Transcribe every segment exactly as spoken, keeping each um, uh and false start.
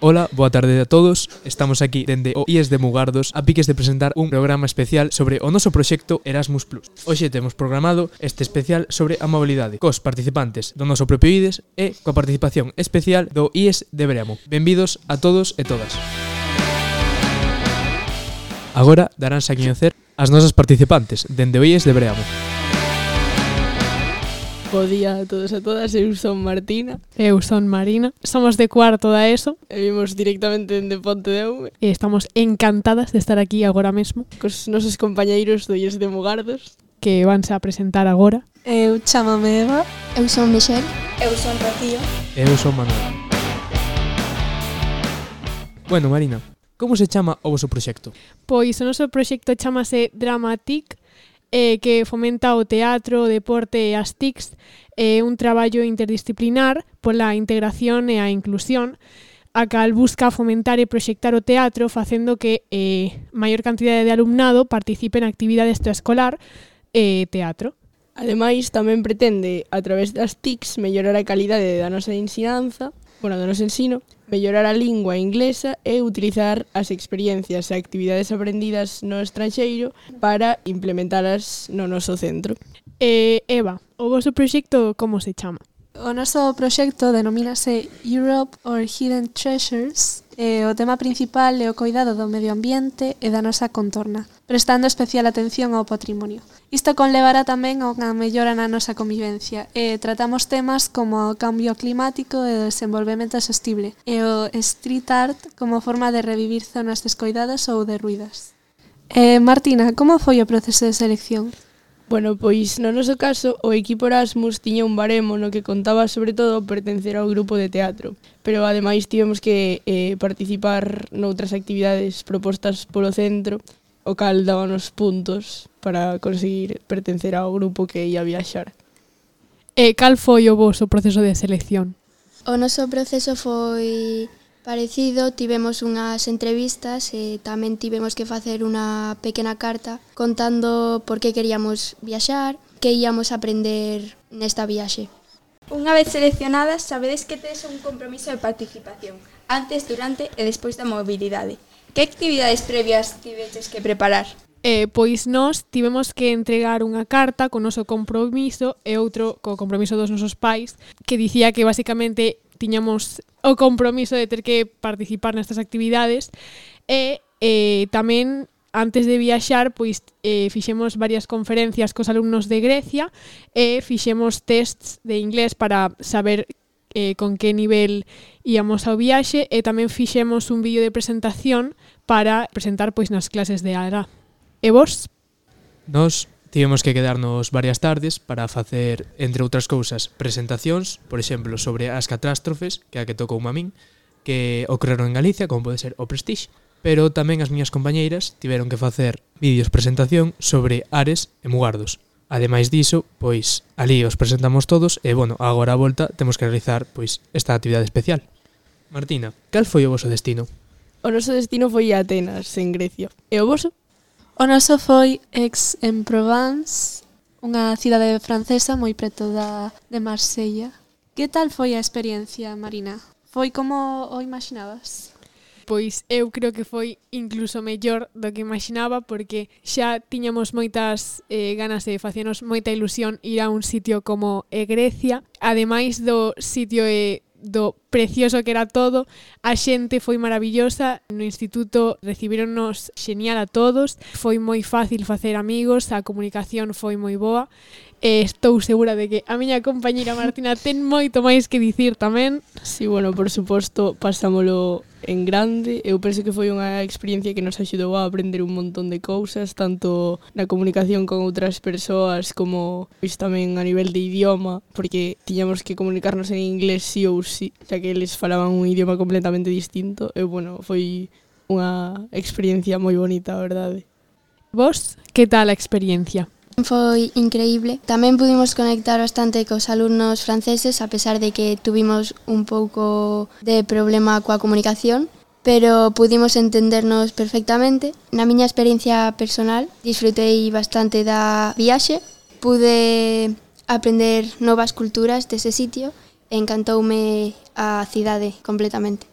Ola, boa tarde a todos. Estamos aquí dende o I E S de Mugardos a piques de presentar un programa especial sobre o noso proxecto Erasmus plus. Hoxe temos programado este especial sobre a mobilidade cos participantes do noso propio I D E S e coa participación especial do I E S de Bremo. Benvidos a todos e todas. Agora daránse a coñecer as nosas participantes dende o I E S de Bremo. Bo día a todos e a todas, eu son Martina. Eu son Marina. Somos de cuarto da ESO. E vimos directamente dende Ponte de Aume. E estamos encantadas de estar aquí agora mesmo. Cos nosos compañeiros do I E S de Mugardos. Que vanse a presentar agora. Eu chamame Eva. Eu son Michelle. Eu son Rocío. E eu son Manuel. Bueno, Marina, como se chama o vosso proxecto? Pois o noso proxecto chamase Dramatic, eh, que fomenta o teatro, o deporte e as T I Cs, é eh, un traballo interdisciplinar pola integración e a inclusión, a cal busca fomentar e proxectar o teatro facendo que eh, maior cantidade de alumnado participe en actividades extraescolar e eh, teatro. Ademais, tamén pretende, a través das T I Cs, mellorar a calidade da nosa ensinanza, bueno, do noso ensino, mellorar a lingua inglesa e utilizar as experiencias e actividades aprendidas no estranxeiro para implementalas no noso centro. Eh, Eva, o vosso proxecto como se chama? O noso proxecto denomínase Europe or Hidden Treasures e o tema principal é o cuidado do medio ambiente e da nosa contorna, prestando especial atención ao patrimonio. Isto conlevará tamén a unha mellora na nosa convivencia e tratamos temas como o cambio climático e o desenvolvemento sostible e o street art como forma de revivir zonas descoidadas ou derruídas. Eh, Martina, como foi o proceso de selección? Bueno, pois no noso caso o equipo Erasmus tiña un baremo no que contaba sobre todo pertencer ao grupo de teatro, pero ademais tivemos que eh, participar noutras actividades propostas polo centro, o cal dábanos puntos para conseguir pertencer ao grupo que ia viaxar. E cal foi o voso proceso de selección? O noso proceso foi parecido, tivemos unhas entrevistas e tamén tivemos que facer unha pequena carta contando por que queríamos viaxar, que íamos a aprender nesta viaxe. Unha vez seleccionadas, sabedes que tedes un compromiso de participación, antes, durante e despois da mobilidade. Que actividades previas tiveches que preparar? Eh, pois nós tivemos que entregar unha carta con o noso compromiso e outro co compromiso dos nosos pais, que dicía que basicamente tiñamos o compromiso de ter que participar nestas actividades e eh, tamén antes de viaxar pois eh, fixemos varias conferencias cos alumnos de Grecia e fixemos tests de inglés para saber eh, con que nivel íamos ao viaxe e tamén fixemos un vídeo de presentación para presentar pois nas clases de A R A. E vos? Nos tivemos que quedarnos varias tardes para facer, entre outras cousas, presentacións, por exemplo, sobre as catástrofes, que é a que tocou a min, que ocorreron en Galicia, como pode ser o Prestige, pero tamén as miñas compañeiras tiveron que facer vídeos presentación sobre Ares e Mugardos. Ademais diso, pois, ali os presentamos todos e, bueno, agora a volta temos que realizar, pois, esta actividade especial. Martina, cal foi o voso destino? O noso destino foi a Atenas, en Grecia. E o voso? O noso foi Aix-en-Provence, unha cidade francesa moi preto da, de Marsella. Que tal foi a experiencia, Marina? Foi como o imaginabas? Pois eu creo que foi incluso mellor do que imaginaba porque xa tiñamos moitas eh, ganas de facernos moita ilusión ir a un sitio como é Grecia. Ademais do sitio e do precioso que era todo, a xente foi maravillosa, no instituto recibíronnos xenial a todos, foi moi fácil facer amigos, a comunicación foi moi boa, e estou segura de que a miña compañeira Martina ten moito máis que dicir tamén. Sí, bueno, por suposto, pasámolo en grande. Eu penso que foi unha experiencia que nos axudou a aprender un montón de cousas, tanto na comunicación con outras persoas como pois, tamén a nivel de idioma, porque tiñamos que comunicarnos en inglés sí ou sí, xa que eles falaban un idioma completamente distinto. E, bueno, foi unha experiencia moi bonita, a verdade. Vos, que tal a experiencia? Foi increíble. Tamén pudimos conectar bastante cos alumnos franceses, a pesar de que tuvimos un pouco de problema coa comunicación, pero pudimos entendernos perfectamente. Na miña experiencia personal, disfrutei bastante da viaxe, pude aprender novas culturas dese sitio e encantoume a cidade completamente.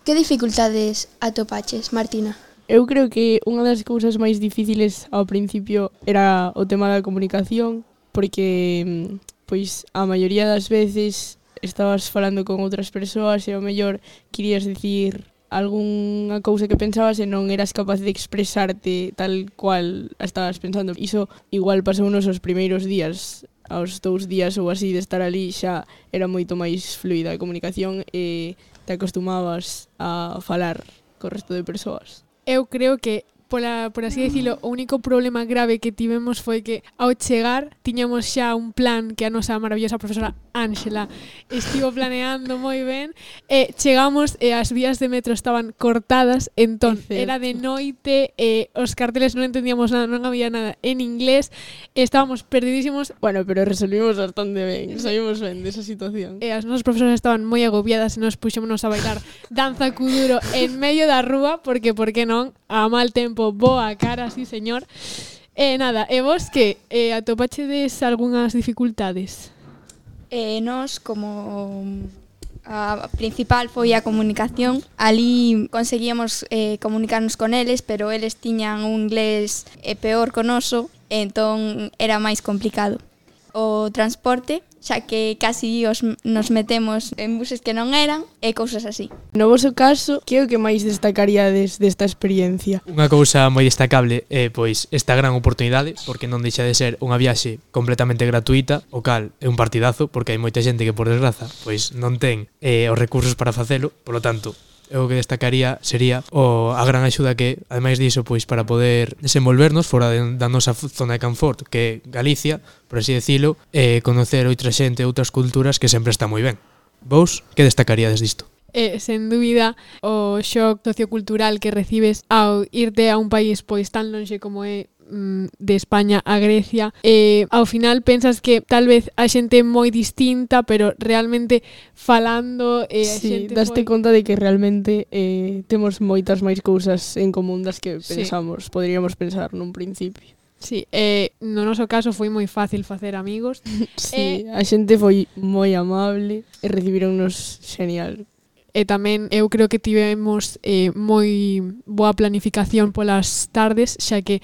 Que dificultades atopaches, Martina? Eu creo que unha das cousas máis difíciles ao principio era o tema da comunicación, porque pois a maioría das veces estabas falando con outras persoas e ao mellor querías dicir algunha cousa que pensabas e non eras capaz de expresarte tal cual estabas pensando. Iso igual pasou nos os primeiros días, aos dous días ou así de estar ali xa era moito máis fluida a comunicación e te acostumabas a falar co resto de persoas. Eu creo que Pola, por así decirlo, o único problema grave que tivemos foi que ao chegar tiñamos xa un plan que a nosa maravillosa profesora Ángela estivo planeando moi ben e chegamos e as vías de metro estaban cortadas, entón era de noite e os carteles non entendíamos nada, non había nada en inglés e estábamos perdidísimos. Bueno, pero resolvimos bastante ben, saímos ben desa situación. E as nosas profesoras estaban moi agobiadas e nos puxémonos a bailar danza kuduro en medio da rúa porque, por que non, a mal tempo boa cara, sí señor. E eh, nada, e vos que eh, atopachedes algunhas dificultades? Eh, nos, como a principal foi a comunicación, ali conseguíamos eh, comunicarnos con eles, pero eles tiñan un inglés eh, peor que o noso, entón era máis complicado. O transporte, xa que casi os, nos metemos en buses que non eran e cousas así. No voso caso, que é o que máis destacaríades desta experiencia? Unha cousa moi destacable é pois esta gran oportunidade, porque non deixa de ser unha viaxe completamente gratuita, o cal é un partidazo, porque hai moita xente que por desgraza pois non ten eh, os recursos para facelo, polo tanto, o que destacaría sería o, a gran axuda que, ademais diso, pois para poder desenvolvernos fora de, da nosa zona de confort, que é Galicia, por así decilo, e conocer outra xente, outras culturas, que sempre está moi ben. Vos, que destacaríades disto? Eh, sen dúbida, o shock sociocultural que recibes ao irte a un país pois tan lonxe como é de España a Grecia, e ao final pensas que tal vez a xente é moi distinta, pero realmente falando eh, a sí, xente daste foi... conta de que realmente eh, temos moitas máis cousas en común das que pensamos, sí. Poderíamos pensar nun principio. Sí, eh, no noso caso foi moi fácil facer amigos. Sí, eh, a xente foi moi amable e recibironnos genial. E tamén eu creo que tivemos eh, moi boa planificación polas tardes, xa que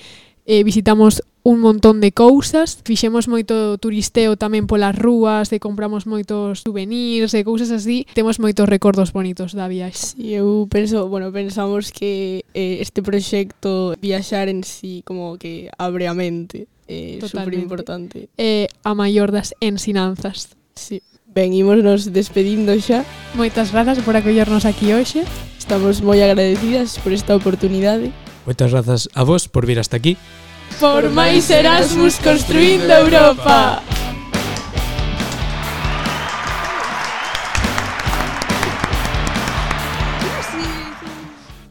eh, visitamos un montón de cousas, fixemos moito turisteo tamén polas rúas, e compramos moitos souvenirs e cousas así, temos moitos recordos bonitos da viaxe. Sí, eu penso, bueno, pensamos que eh, este proxecto viaxar en sí como que abre a mente, é eh, super importante. É eh, a maior das ensinanzas. Sí. Ben, ímonos despedindo xa. Moitas grazas por acollernos aquí hoxe. Estamos moi agradecidas por esta oportunidade. Moitas grazas a vos por vir hasta aquí. Por máis Erasmus construindo Europa.